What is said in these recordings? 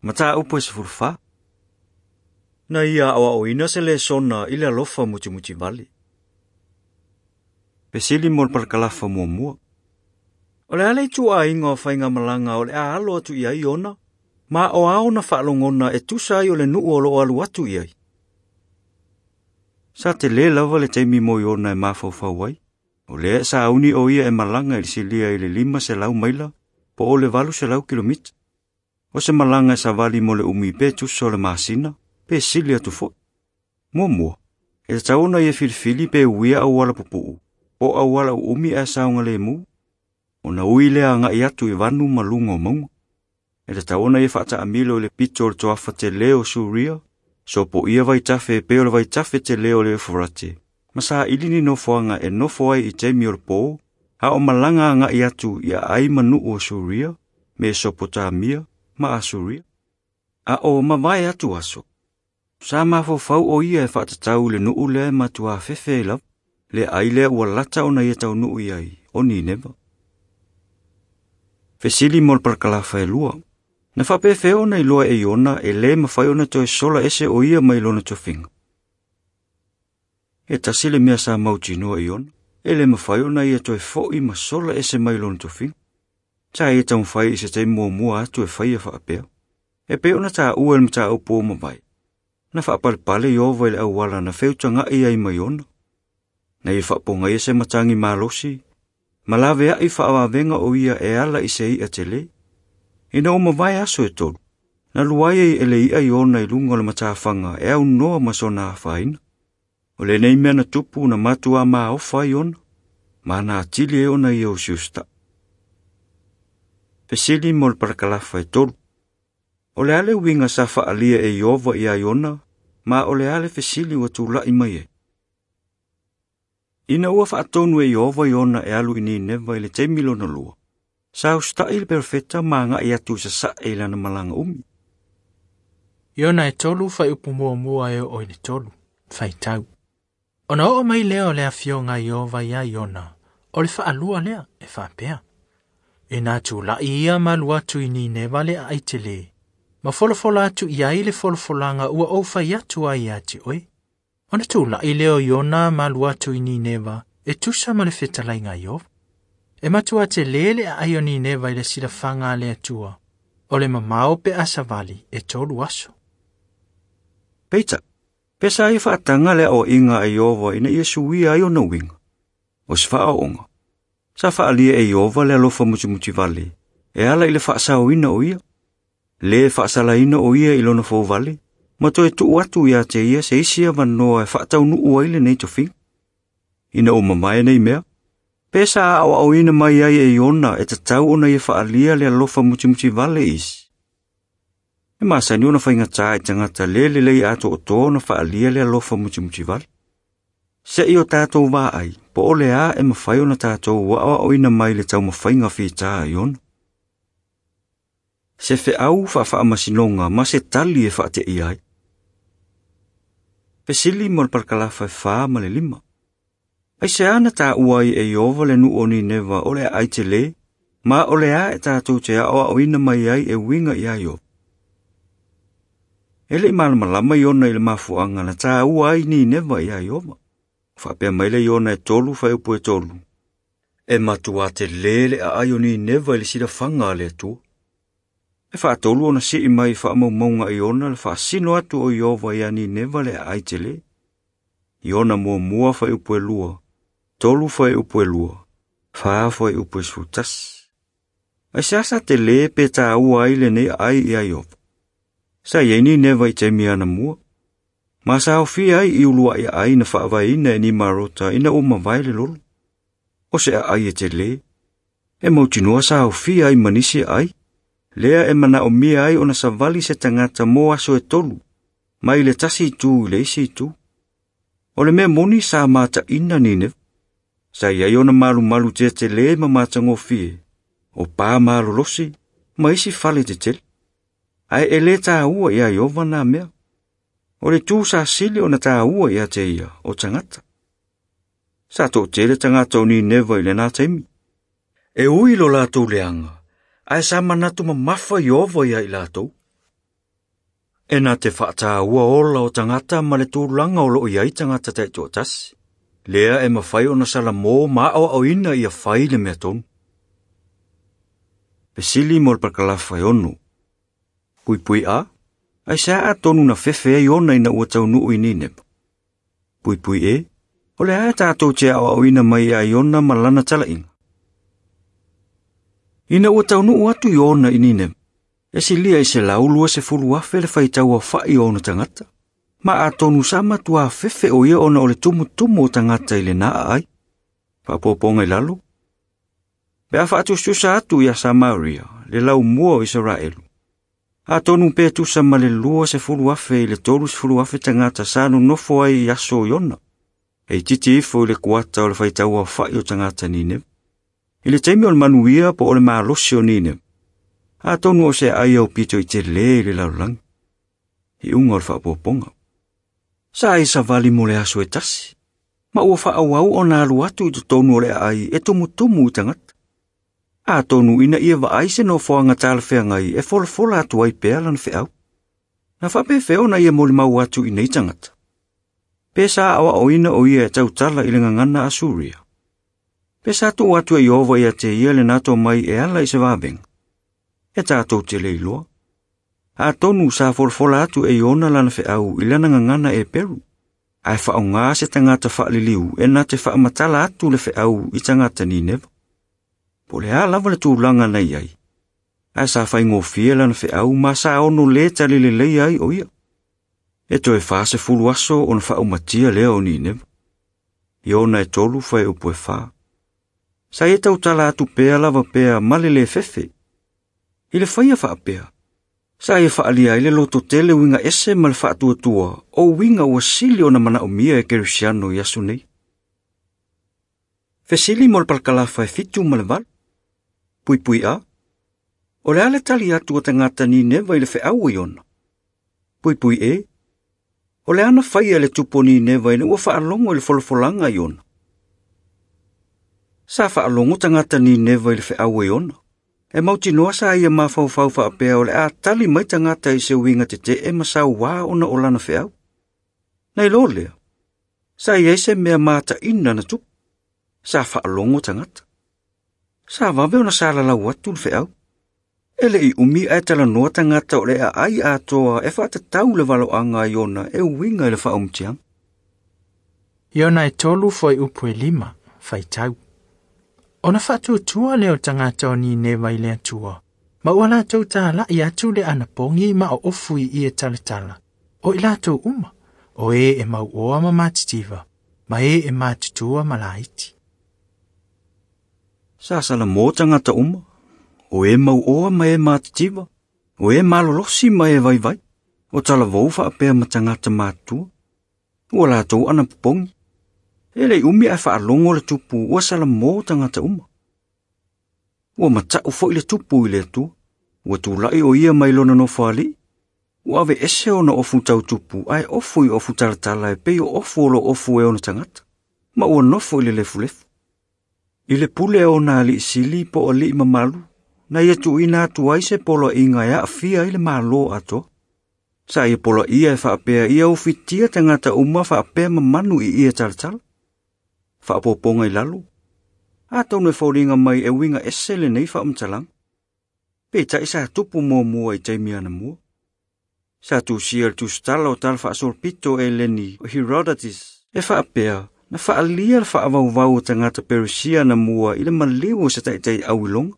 Mataupu e 14. Na ia aoaoina se lesona i le alofa mutimutivale. Fesili mo le palakalafa muamua. O le a le ituaiga o faigamalaga o le a alo atu i ai Iona, ma o a ona faalogona e tusa ai o le nuu o loo alu atu i ai. Sa telē lava le taimi mo Iona e mafaufau ai. O lea e sauni o ia e malaga i le silia i le 500 maila po o le 800 kilomita. O se malaga e savali mo le umi pe tusa o le masina, pe sili atu foi. Muamua, e tatau ona ia filifili pe uia auala pupuu, po o auala uumi ae saogalemu, ona ui lea agai atu i vanu ma luga o mauga. E tatau ona ia faataamilo i le pito o le toafa telē o Suria, sopoia vaitafe e pei o le vaitafe telē o le Eufurate, ma saili ni nofoaga e nofo ai i taimi o le pō, a o malaga agai atu i aai ma nuu o Suria, Mesopotamia ma Asuria. A o mavae atu aso, sa mafaufau o ia e faatatau i le nuu lea e matuā fefe ai lava, le aai lea ua lata ona ia taunuu i ai, o Nineva. Fesili mo le palakalafa e 2. Na faapefea ona iloa e Iona e lē mafai ona toe sola ese o ia mai lona tofiga. E tasi le mea sa mautinoa e Iona, e lē mafai ona ia toe fo'i ma sola ese mai lona tofiga. Sa ia taumafai i se taimi muamua atu e faia faapea. E pei ona taua i le mataupu o mavae. Na faapalepale Ieova i le auala na feutaga'i ai ma Iona. Na ia faapogaia se matagi malosi, ma laveai faavavega o ia e ala i se i'a telē. Ina ua mavae aso e 3, na luai ai e le i'a Iona i luga o le matafaga e aunoa ma sona afaina. O lenei mea na tupu na matuā maofa ai Iona, ma na atili ai ona ia usiusita'i. Fesili mo le palakalafa e 3. O le a le uiga sa faaalia e Ieova iā Iona, ma o le a le fesili ua tula'i mai ai. Ina ua faatonu e Ieova Iona e alu i Nineva i le taimi lona lua, sa usita'i le perofeta ma aga'i atu i sasa'e i lana malaga umi. Iona e 3 fuaiupu 1 e oo i le 3, faitau. Ona oo mai lea o le afioga Ieova iā Iona, o le faalua lea e faapea. Ina tula'i ia ma alu atu i Nineva le aai telē, ma folafola atu i ai le folafolaga ua ou fai atu ai ia te oe. Ona tula'i lea o Iona ma alu atu i Nineva e tusa ma le fetalaiga a Ieova. E matua telē le aai o Nineva i le silafaga a le Atua, o le mamao pe a savali e 3 aso. Peitai, pe sa ia faataga le aoaiga a Ieova ina ia suia ai ona uiga. O se faaooga, sa faalia e Ieova le alofa mutimutivale, e ala i le faasaoina o ia. Lē faasalaina o ia i lona fouvale, ma toe tuu atu ia te ia se isi avanoa e faataunuu ai lenei tofiga. Ina ua mamae nei mea, pe sa aoaoina mai ai e Iona e tatau ona ia faalia le alofa mutimutivale i isi. E masani ona faigatā i tagata lē lelei atoatoa ona faalia le alofa mutimutivale. Se'i o tatou vaai, po o le a e mafai ona tatou aoaoina mai le taumafaiga fitā a Iona. Se feau faafaamasinoga ma se tali e faateia ai. Fesili mo le palakalafa e 4 ma le 5. Aisea na taua ai e Ieova le nuu o Nineva o le aai telē, ma o le a e tatou te aoaoina mai ai e uiga iā Ieova. E le'i malamalama Iona i le mafuaga na taua ai Nineva iā Ieova. Faapea mai le Iona e 3 fuaiupu e 3. E matuā telē le aai o Nineva i le silafaga a le Atua. E faatolu ona sii mai faamaumauga a Iona le faasino atu o Ieova iā Nineva le aai telē. Iona 1 fuaiupu e 2, 3 fuaiupu e 2, 4 fuaiupu e 11. Aisea sa telē pe taua ai lenei aai iā Ieova. Sa i ai Nineva i taimi anamua, ma sa aofia ai i ulua'i aai na faavaeina e Nimarota ina ua mavae le lolo. O se aai e telē, e mautinoa sa aofia ai ma nisi aai, lea e manaomia ai ona savali se tagata mo aso e 3, mai le tasi itu i le isi itu. O le mea moni sa mataʻina Nineva. Sa i ai ona malumalu tetelē ma matagofie, o pā malolosi ma isi fale tetele. Ae e lē taua iā Ieova na mea. O le tū sa sili ona taua ia te ia o tagata. Sa toʻatele tagata o Nineva i lenā taimi. E ui lo latou leaga, ae sa manatu mamafa Ieova iā i latou. E na te whaatāua ola o tangata ma le tūlanga o loo iai tangata taitoatasi. Lea e mawhai o na sala mō maa o au ina ia whai le mea tonu. Fesili mo le parakalafa e 6. Pui pui a, ai sea a tonu na fefe ai ona ina ua taunuu i Nineva. Pui pui e, o le ae tātou te ao au ina mai ai ona ma lana talainga. Ina ua taunuu atu i ona i Nineva, e silia i se laulua se fulu afe le whaitau a whai o ona tangata. Ma a tonu sa matua fefe o ia ona o le tumutumu o tangata i le naa ai. Whaapoponga i lalo. Pe a whaatususa atu ia Samaria, le lau mua o Israelu. A tonu pe tusa ma le 20,000 i le 30,000 tangata sa nonofo ai i aso i ona. E titi ifo i le kuata o le whaitau a whai o tangata Nineva. I le taimi o le manuia po o le malosi o Nineva. A tonu o se ai au pito i te le i le lalulangi. I unga o le whaapoponga. Sa ai savali mo le aso e tasi. Ma ua whaawau o nā alu atu i te tonu o le ai e tumutumu i tangata. A tonu ina ia vaai se nofoanga talawheangai e folafola atu ai pea lana wheau. Na whapewheo na ia molimau atu i nei tangata. Pe sa awa o ina o ia e tautala i le ngangana a Suria. Pe sa tu atu e Iova ia te ia le nato mai e ala i se wawenga. E tātou te leiloa. A tonu sa folafola atu e Iona lana wheau i lana ngangana e Peru. Ai whaonga se tangata whaaliliu e nā te whaamatala atu le wheau i tangata Nineva. Po le a lava le tūlanga nei ai. Ai sa whaingofia lana wheau ma sa ono le talile lei ai o ia. E toe 40 aso ona whaaumatia lea o Nineva. Iona e 3 whai upu e 4. Sa e tautala atu pea lava pea malele fefe. I le whaia whaapea. Sa e whaalia i le loto tele winga ese ma le whaatuatua o winga ua sili ona manaomia e Kerisiano i aso nei. Fesili mo le parakalafa e 7 ma le 8. Pui pui a. O le ale tali atu o tangata Nineva i le wheau i ona. Pui pui e. O le ana whaia le tupo Nineva ina ua whaalongo i le folafolanga i ona. Sa whaalongo tangata Nineva i le wheau i ona. E mautinoa sa ia mawhauwhau whaapea o le a tali mai tangata i se winga te te e masau wā ona o lana wheau. Nei lo lea. Sa ia se mea māta ina na tupu. Sa whaalongo tangata. Sa wawe ona sa lalau atu le wheau. E le i umi ai tala noa tangata o le a ai atoa e whaatatau le waloanga i ona e winga i le whaumtiang. Iona e 3 foi upu e 5, whaitau. Ona whaatuatua leo tangata o Nineva i le atua. Ma ua lātou tālai atu le anapongi ma o ofu i ia talatala. O i lātou uma, o e e mau oa ma mātitiva, ma e e mātutua ma laiti. Sa sala mō tangata uma, o e mau oa ma e mātitiva, o e malolosi ma e vaivai, o talavou whaapea ma tangata mātua. Ua lātou anapopongi. E le umi ai whaalongo le tupu ua sala mō tangata uma. Ua matau foi le tupu i le atua. Ua tūlai o ia mai lona nofo ali. Ua ave ese ona ofu tau tupu ai ofu i ofu talatala e pei o ofu o lo ofu e ona tangata. Ma ua nofo i le lefulefu. I le pule ona ali sili po o li mamalu. Na ia tuina atu ai se polo inga e aafia i le malo atoa. Sa ia polo ia e whaapea ia ufitia tangata uma whaapea mamanu i ia talatala. Whaapoponga i lalo. A tonu e faulinga mai e winga ese le nei whaamtalang. Pe tai sa tupu mua mua i taimi ana mua. Sa tusia le tusitala o tala whaasolpito e leni o Herodotus. E whaapea na whaalia le whaavauvau o tangata Perusia na mua i le maliu o se taitai au ilonga.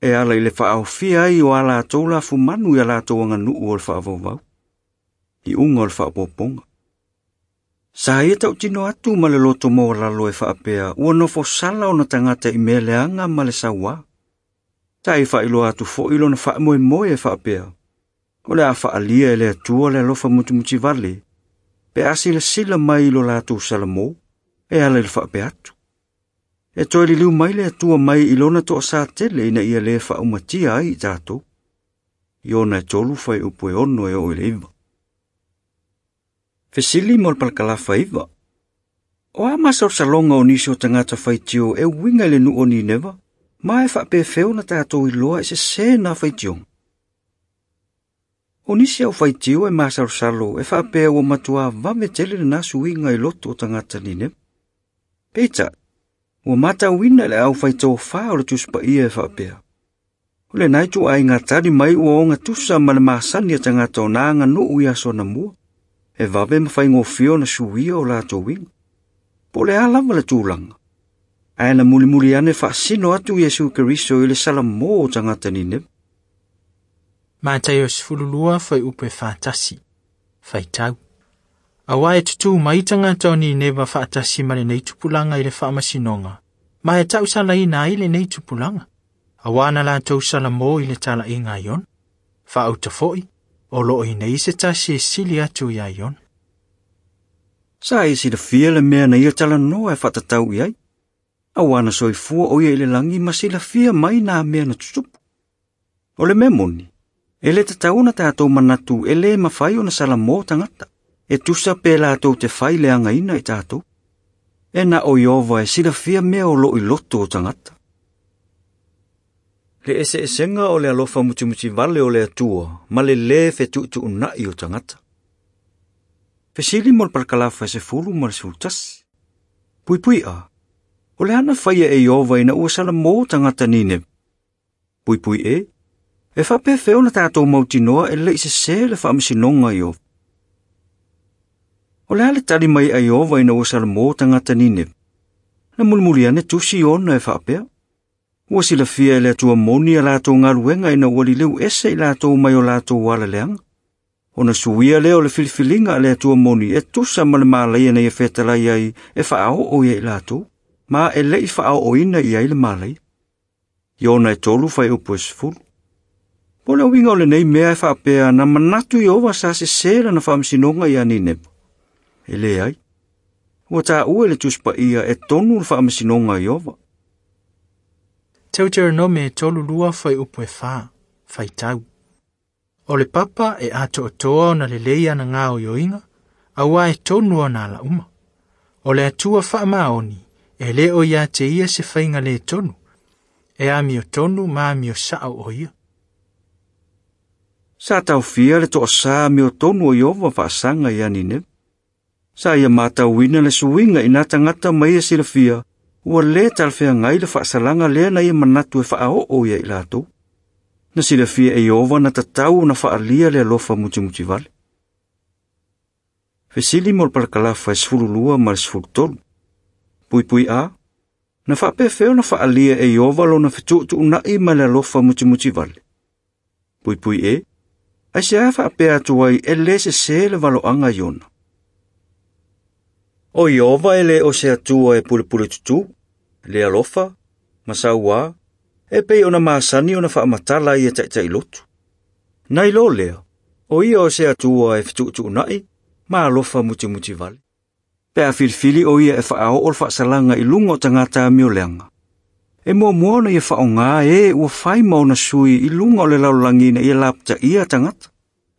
E ala i le whaaofia ai o ala atou la fumanu i ala atou anganuu o le whaavauvau. I unga o le whaapoponga. Sa ia tautino atu ma le loto maualalo e whaapea ua nofo sala ona tangata i mea leanga ma le sauā. Sa i whailoa atu foi lona whaamoemoe e whaapea. O le a whaalia e le atua le alofa mutumuti vale. Pe a sila mai lo lātou salamo e ala i le whaapea atu. E toe liliu mai le atua mai i lona toa sa tele ina ia le whaaumatia ai i tātou. Iona e 3 whai upu e 6 e o i le 9. Fesili mo le parakalafa 9. O a masalosaloga o nisi o tagata faitio e uiga i le nuu o Nineva, ma e faapefeo na tatou iloa e sesē na faitioga. O nisi au faitio e masalosalo e faapea ua matuā vave tele lenā suiga i loto o tagata Nineva. Peitai, ua matauina le aufaitofā o le Tusi Paia e faapea. O lenā ituaiga tali mai ua ogatusa ma le masani a tagata o na aganuu i aso anamua, e vave ma faigofie ona suia o latou uiga. Po o le a lava le tulaga, ae na mulimuli ane faasino atu Iesu Keriso i le salamō o tagata Nineva. Mataio 12 fuaiupu e 41, faitau. Auā e tutū mai tagata o Nineva faatasi ma lenei tupulaga i le faamasinoga, ma e tausalaina ai lenei tupulaga. Auā na latou salamō i le talaʻiga a Iona. Faauta foʻi, o loo i inei se tasi e sili atu iā Iona. Sa e silafia le mea na ia talanoa e faatatau i ai. Auā na soifua o ia i le lagi ma silafia mai nā mea na tutupu. O le mea moni, e lē tatau ona tatou manatu e lē mafai ona salamō tagata, e tusa pe latou te fai leagaina i tatou. E na o Ieova e silafia mea o loo i loto o tagata. Le eseesega o le alofa mutimutivale o le Atua ma le lē fetuutuunai o tagata. Fesili mo le palakalafa e 10 ma le 11. Puipui A, o le a na faia e Ieova ina ua salamō tagata Nineva? Puipui E, e faapefea ona tatou mautinoa e leʻi sesē le faamasinoga a Ieova. O le a le tali mai a Ieova ina ua salamō tagata Nineva? Na mulimuli ane tusi Iona e faapea. Ua silafia e le Atua moni a latou galuega ina ua liliu ese i latou mai o latou ala leaga. Ona suia lea o le filifiliga a le Atua moni e tusa ma le malaia na ia fetalai ai e faaoo ia i latou, ma e leʻi faaooina i ai le malaia. Iona e 3 fuaiupu e 10. Po o le uiga o lenei mea e faapea na manatu Ieova sa sesē lana faamasinoga iā Nineva. E leai. Ua taua e le Tusi Paia e tonu le faamasinoga a Ieova. Teuteronome 32 fuaiupu e 4, faitau. O le papa e atoatoa ona lelei ana gaoioiga, auā e tonu ona alauma. O le Atua faamaoni, e lē o ia te ia se faiga lē tonu, e amio tonu ma amio saʻo o ia. Sa taofia le toasā amiotonu o Ieova faasaga iā Nineva. Sa ia matauina le suiga i nā tagata ma ia silafia, ua lē talafeagai le faasalaga lea na ia manatu e faaoo ia i latou. Na silafia e Ieova na tatau ona faalia le alofa mutimutivale. Fesili mo le palakalafa e 12 ma le 13. Puipui A, na faapefea ona faalia e Ieova lona fetuutuunai ma le alofa mutimutivale. Puipui E, aisea faapea atu ai e lē sesē le valoaga a Iona. O Ieova e lē o se Atua e pulepule tutū, le alofa, ma sauā, e pei ona masani ona faamatala ia taʻitaʻilotu. Nai lo lea, o ia o se Atua e fetuutuunai, ma alofa mutimutivale. Pe a filifili o ia e faaoo le faasalaga i luga o tagata amioleaga. E muamua ona ia faaaogā e ua fai ma ona sui i luga o le lalolagi ina ia lapataia tagata.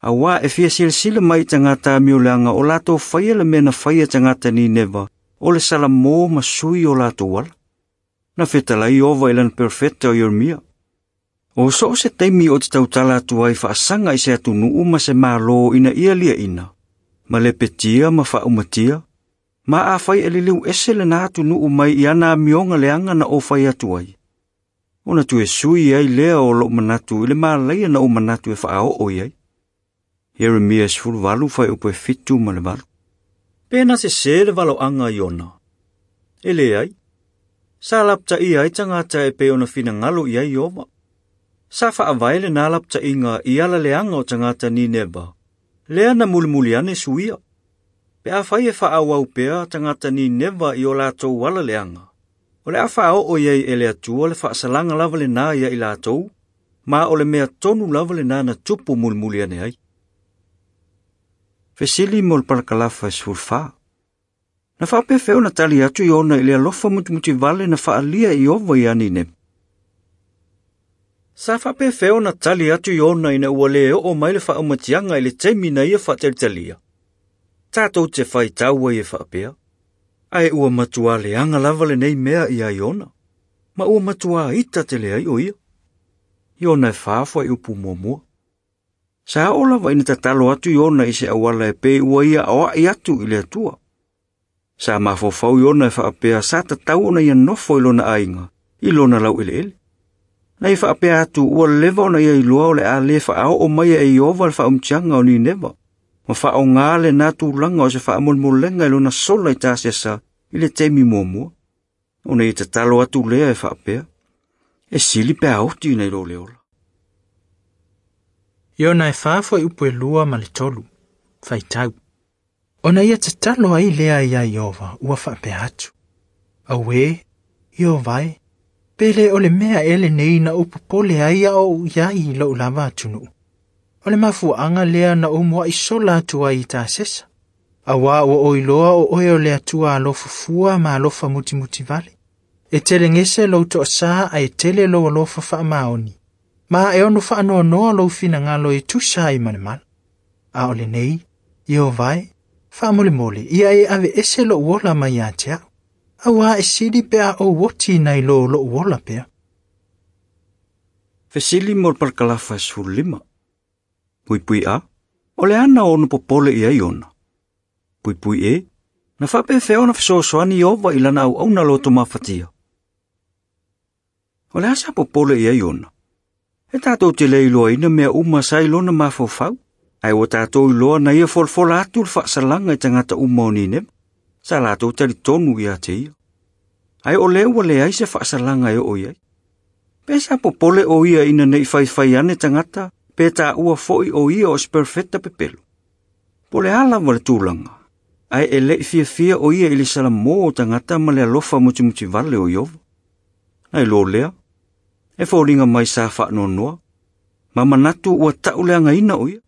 Auā e fia silasila mai i tagata amioleaga o latou faia le mea na faia tagata Nineva o le salamō ma sui o latou ala. Na fetalai Ieova i lana perofeta o Ieremia. O so o se taimi o te tautala atu ai faasaga i se atunuu ma se mālō ina ia liaʻina, ma lepetia ma faaumatia, ma afai e liliu ese lenā atunuu mai i ana amioga leaga na ou fai atu ai. Ona toe sui ai lea o lou manatu i le malaia na ou manatu e faaoo i ai. Ieremia 18 fuaiupu e 7 ma le 8. Pe na sesē le valoaga a Iona. E leai. Sa lapataia ai tagata e pei ona finagalo i ai Ieova. Sa faavae lenā lapataiga i ala leaga o tagata Nineva, lea na mulimuli ane suia. Pe afai e faaauau pea tagata Nineva i o latou ala leaga, o le a faaoo i ai e le Atua le faasalaga lava lenā ia i latou, ma o le mea tonu lava lenā na tupu mulimuli ane ai. Fesili mo le palakalafa e 14. Na faapefea ona tali atu Iona i le alofa mutimutivale na faalia e Ieova iā Nineva. Sa faapefea ona tali atu Iona ina ua lē oo mai le faaumatiaga i le taimi na ia faatalitalia. Tatou te faitau ai e faapea, ae ua matuā leaga lava lenei mea iā Iona, ma ua matuā ita tele ai o ia. Iona e 4 fuaiupu muamua. Sa oo lava ina tatalo atu Iona i se auala e pei ua ia aoai atu i le Atua. Sa mafaufau Iona e faapea sa tatau ona ia nofo i lona aiga, i lona laueleele. Na ia faapea atu ua leva ona ia iloa o le a le faaoo mai e Ieova le faaumutiaga o Nineva, ma faaaoga lena tulaga o se faamolemolega i lona sola i Tasesa i le taimi muamua. Ona ia tatalo atu lea e faapea, e sili pe a oti nai lo le ola. Iona e 4:2-3, faitau. Ona ia tatalo ai lea ia Ieova ua faapea atu. Auē, Ieova e, pe le o le mea e lenei na ou popole ai a ou iai i lou lava atunuu. O le mafuaaga lea na ou muai sola atu ai i Tasesa. Auā ua o iloa o oe o le Atua alofa fua ma alofa mutimutivale. E telegese lou toasā ae tele lou alofa faamaoni. Ma e ono faanoanoa lou finagalo e tusa ai ma le mala. A o lenei, Ieova e, faamolemole ia e aveese lou ola mai ia te au. Auā e sili pe a ou oti nai lo lou ola pea. Fesili mo le parakalafa 15. Puipui a, o le ana ono popole ia Iona. Puipui e, na faapefea ona fesoasoani Ieova i lana auauna loto mafatia. O le a sa popole ia Iona. E tātou te le iloaina mea uma sa i lona mafaufau, ae ua tātou iloa na ia folafola atu le faasalaga i tagata uma o Nineva, sa latou talitonu ia te ia. Ae o lea ua leai se faasalaga e oo i ai. Pe sa popole o ia ina nei faifai ane tagata, pe tāua foi o ia o se perfeta pepelo. Po le a lava le tulaga, ae e le'i fiafia o ia i le salamō o tagata ma le alofa mutimutivale o Ieova. Nai lo lea, e foliga mai sa faanoanoa, ma manatu ua ta'u leagaina o ia.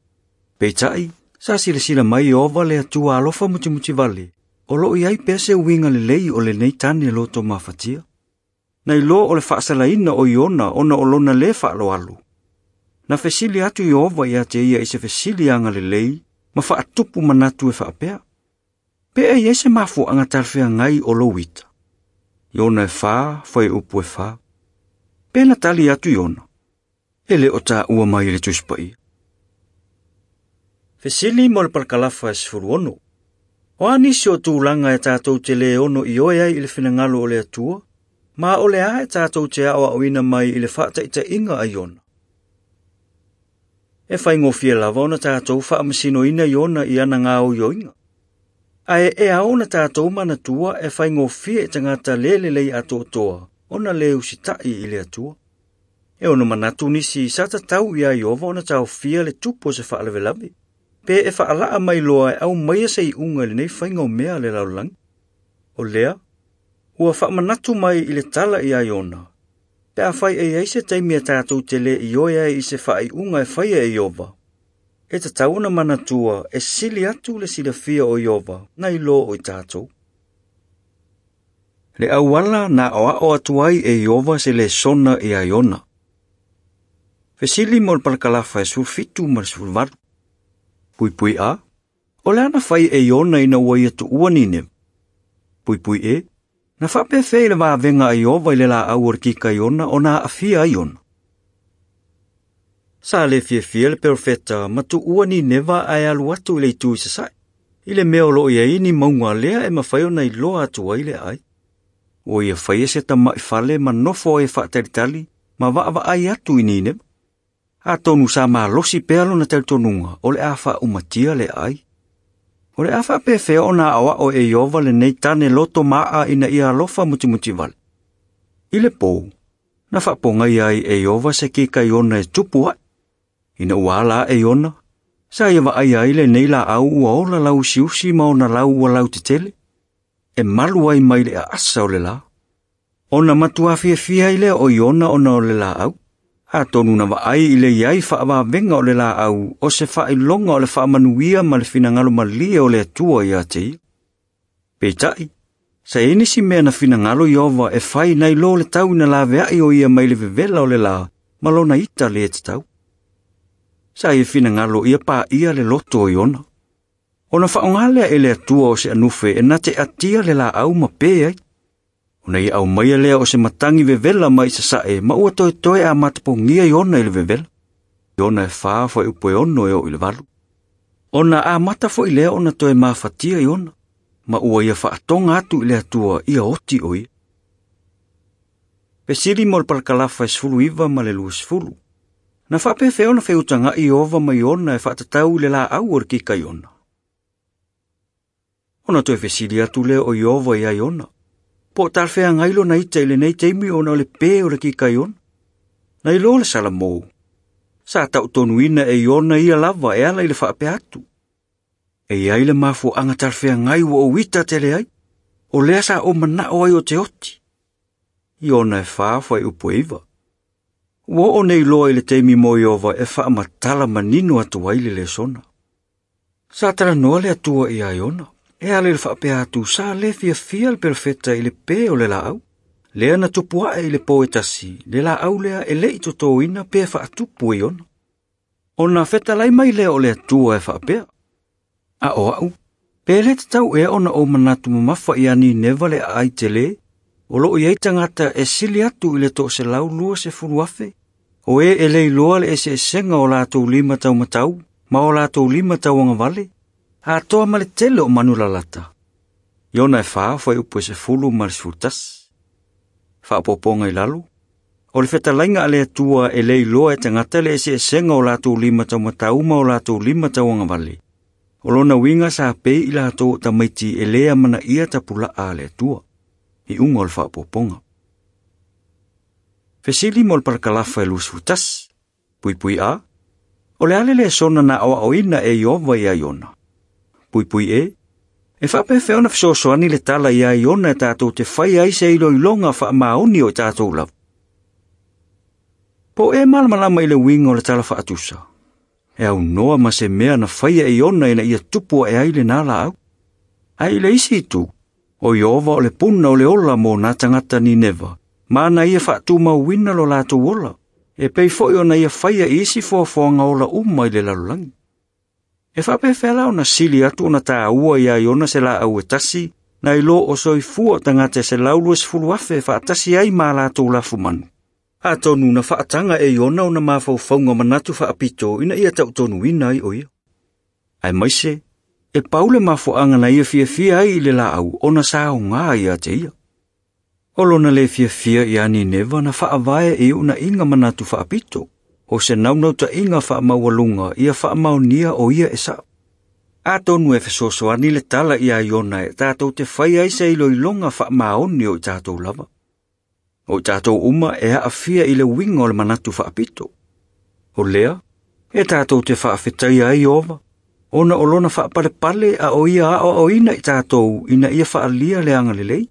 Peitai, sa silasila mai Ieova le Atua alofa mutimutivale, o loo i ai pea se uiga lelei o lenei tane loto mafatia. Nai lo o le faasalaina o Iona ona o lona lē faaloalo. Na fesili atu Ieova ia te ia i se fesili agalelei ma faatupu manatu e faapea. Pe e iai se mafuaaga talafeagai o lou ita. Iona e 4:4. Pe na tali atu Iona. E le o tāua mai i le Tusi Paia. Fesili mo le parakalafa 16. O a nisi o tulaga e tātou te le ono i oe ai i le finagalo o le Atua, ma o le a e tātou te aoaoina mai i le faataitaiga a Iona. E faigofie lava ona tātou faamasinoina Iona i ana gaoioiga. Ae e ao ona tātou manatua e faigofie i tagata le lelei atoatoa ona le usita'i i le Atua. E ono manatu nisi sa tatau ia Ieova ona taofia le tupu o se faalavelave, pe e faalaa mai loa e aumaia se iuga i lenei faiga o mea a le lalolagi. O lea, ua faamanatu mai i le tala ia Iona, pe afai e iai se taimi e tātou te le ioe ai i se faaiuga e faia e Ieova. E tatau ona manatua e sili atu le silafia o Ieova nai lo o i tātou. Le auala na aoao atu ai e Ieova se lesona ia Iona. Fesili mo le parakalafa 17 ma le 18. Puipui a, o le ana fai e Iona ina ua ia tuua Nineva. Puipui e, na faapefea i le vavega a Ieova i le laau o le kika Iona ona aafia ai Iona. Sa le fiafia le perofeta ma tuua Nineva ae alu atu i le itu i sasae, i le mea o loo i ai ni mauga lea e mafai ona iloa atu ai le aai. Ua ia faia se tama'i fale ma nofo ai e faatalitali ma vaavaai atu i Nineva. Atonu sa malosi pea lona talitonuga o le a faaumatia le aai. O le a faapefea ona aoao e Ieova lenei tane loto maa ina ia alofa mutimutivale. I le pō, na faapogai ai e Ieova se kika Iona e tupu ae. Ina ua ala ae Iona, sa ia vaai ai lenei laau ua ola lauusiusi ma ona lau ua lautetele, e malu ai mai le aasa o le lā. Ona matua fiafia ai lea o Iona ona o le laau. Atonu na vaai i le iai faavavega o le laau o se faailoga o le faamanuia ma le finagalo malie o le Atua ia te ia. Peitai, sa i ai nisi mea na finagalo Ieova e fai nai lo le tau ina laveai o ia mai le vevela o le lā ma lona ita le tatau. Sa ia finagalo ia paia le loto o Iona. Ona faaaoga lea e le Atua o se anufe e na te atia le laau ma pe ai. Ona ia aumaia lea o se matagi vevela mai sasae ma ua toetoe a matapogia Iona i le vevela. Iona e 4 fuaiupu e 6 e oo i le 8. Ona amata fo'i lea ona toe mafatia Iona, ma ua ia fa'atoga atu i le Atua ia oti o ia. Fesili mo le palakalafa e 19 ma le 20. Na fa'apefea ona feutaga'i Ieova ma Iona e fa'atatau i le la'au o le kikaiona. Ona toe fesili atu lea o Ieova iā Iona, po o talafeagai lona ita i lenei taimi ona o le pē o le kikaiona. Na iloa le Salamo, sa ta'utonuina e Iona ia lava e ala i le fa'apea atu. E iai le mafua'aga talafeagai ua ou ita tele ai, o lea sa ou mana'o ai o te oti. Iona e 4 fuaiupu e 9. Ua oo nei loa i le taimi mo Ieova e fa'amatala manino atu ai le lesona. Sa talanoa le Atua iā Iona, e ala i le fa'apea atu sa lē fiafia le perofeta i le pē o le la'au. Lea na tupu a'e i le pō e tasi, le la'au lea e le'i totōina pe fa'atupu e Iona. Ona fetalai mai lea o le Atua e fa'apea. A o a'u, pe lē tatau ea ona ou manatu mamafa iā Nineva le a'ai telē, o lo'o iai tagata e sili atu i le 120,000, o e e le iloa le eseesega o latou lima taumatau ma o latou lima tauagavale, atoa ma le tele o manu lalata. Iona e 4 fuaiupu e 10 ma le 11. Fa'apopoga i lalo, o le fetalaiga a le Atua e le iloa e tagata le eseesega o latou lima taumatau ma o latou lima tauagavale. O lona uiga sa pei i latou o tamaiti e lē amanaia tapula'a a le Atua. Iuga o le fa'apopoga. Fesili mo le palakalafa e 21. Puipui A. O le a le lesona na aoa'oina e Ieova iā Iona. Puipui E. E fa'apefea ona fesoasoani le tala iā Iona e tatou te fai ai se iloiloga fa'amaoni o i tatou lava. Po o e malamalama i le uiga o le tala fa'atusa. E aunoa ma se mea na faia e Iona ina ia tupu a'e ai lenā la'au. Ae i le isi itu, o Ieova o le puna o le ola mo nā tagata Nineva, ma na ia fa'atumauina lo latou ola, e pei fo'i ona ia faia i isi foafoaga ola uma i le lalolagi. E fa'apefea la ona sili atu ona tāua iā Iona se la'au e tasi, na i lō o soifua o tagata e 120,000 e fa'atasi ai ma latou lafumanu. Atonu na fa'ataga e Iona ona mafaufauga manatu fa'apito ina ia ta'utonuina ai o ia. Aemaise, e pau le mafua'aga na ia fiafia ai i le la'au ona sa aogā iā te ia. O lona lē fiafia iā Nineva na fa'avae i u'una'iga manatu fa'apito, o se naunauta'iga fa'amaualuga ia fa'amaonia o ia e sa'o. Atonu e fesoasoani le tala iā Iona e tatou te fai ai se iloiloga fa'amaoni o i tatou lava. O i tatou uma e a'afia i le uiga o le manatu fa'apito. O lea, e tatou te fa'afetaia ai Ieova, ona o lona fa'apalepale a o ia a'oa'oina i tatou ina ia fa'alia le agalelei,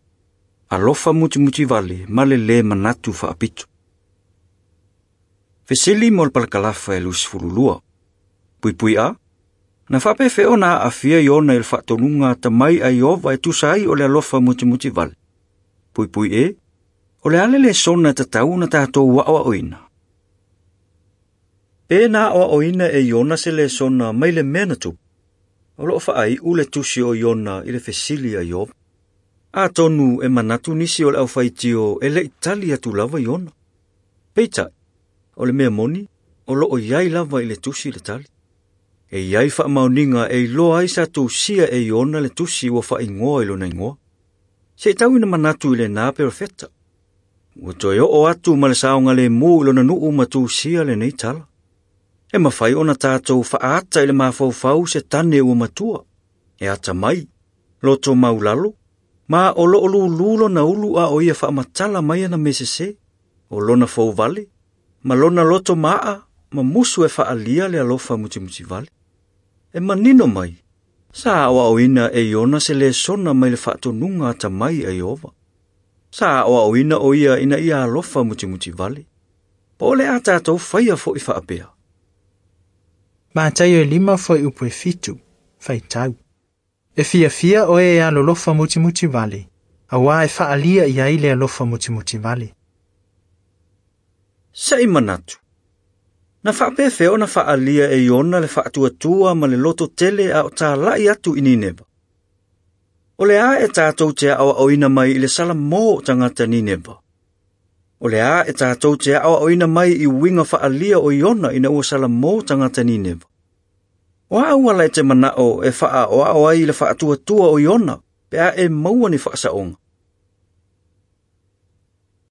alofa mutimutivale ma le lē manatu fa'apito. Fesili mo le palakalafa e 22. Puipui A. Na fa'apefea ona a'afia Iona i le fa'atonuga atamai a Ieova e tusa ai o le alofa mutimutivale. Puipui E. O le a le lesona e tatau ona tatou a'oa'oina. Pe na a'oa'oina e Iona se lesona mai le mea na tupu. O lo'o fa'ai'u le tusi o Iona i le fesili a Ieova. Atonu e manatu nisi o le aufaitio e le'i tali atu lava Iona. Peita'i, o le mea moni, o lo'o iai lava i le tusi le tali. E iai fa'amaoniga e iloa ai sa tousia e Iona le tusi ua fa'aigoa i lona igoa. Se i tau ina manatu i lenā perofeta. Ua toe oo atu ma le saogalēmū i lona nu'u ma tusia lenei tala. E mafai ona tatou fa'aata i le mafaufau se tane ua matua. E atamai, loto maulalo, ma o lo'o lūlū lona ulu a o ia fa'amatala mai ana mesesē, o lona fouvale, ma lona loto ma'a ma musu e fa'alia le alofa mutimutivale. E manino mai, sa a'oa'oina e Iona se lesona mai le fa'atonuga atamai a Ieova. Sa a'oa'oina o ia ina ia alofa mutimutivale. Po o le a tatou faia fo'i fa'apea. Mataio e 5 fuaiupu e 7, faitau. E fiafia oe e alolofa mutimutivale, auā e fa'alia i ai le alofa mutimutivale. Se'i manatu. Na fa'apefea ona fa'alia e Iona le fa'atuatua ma le loto tele a o tāla'i atu i Nineva. O le a e tatou te a'oa'oina mai i le Salamō o tagata Nineva. O le a e tātou te ao oina mai i winga whaalia o Iona ina ua sala mō tangata Nineva. O a ua lai te mana o e whaa o ao ai le whaatua tua o Iona, pe a e maua ni whaasaonga.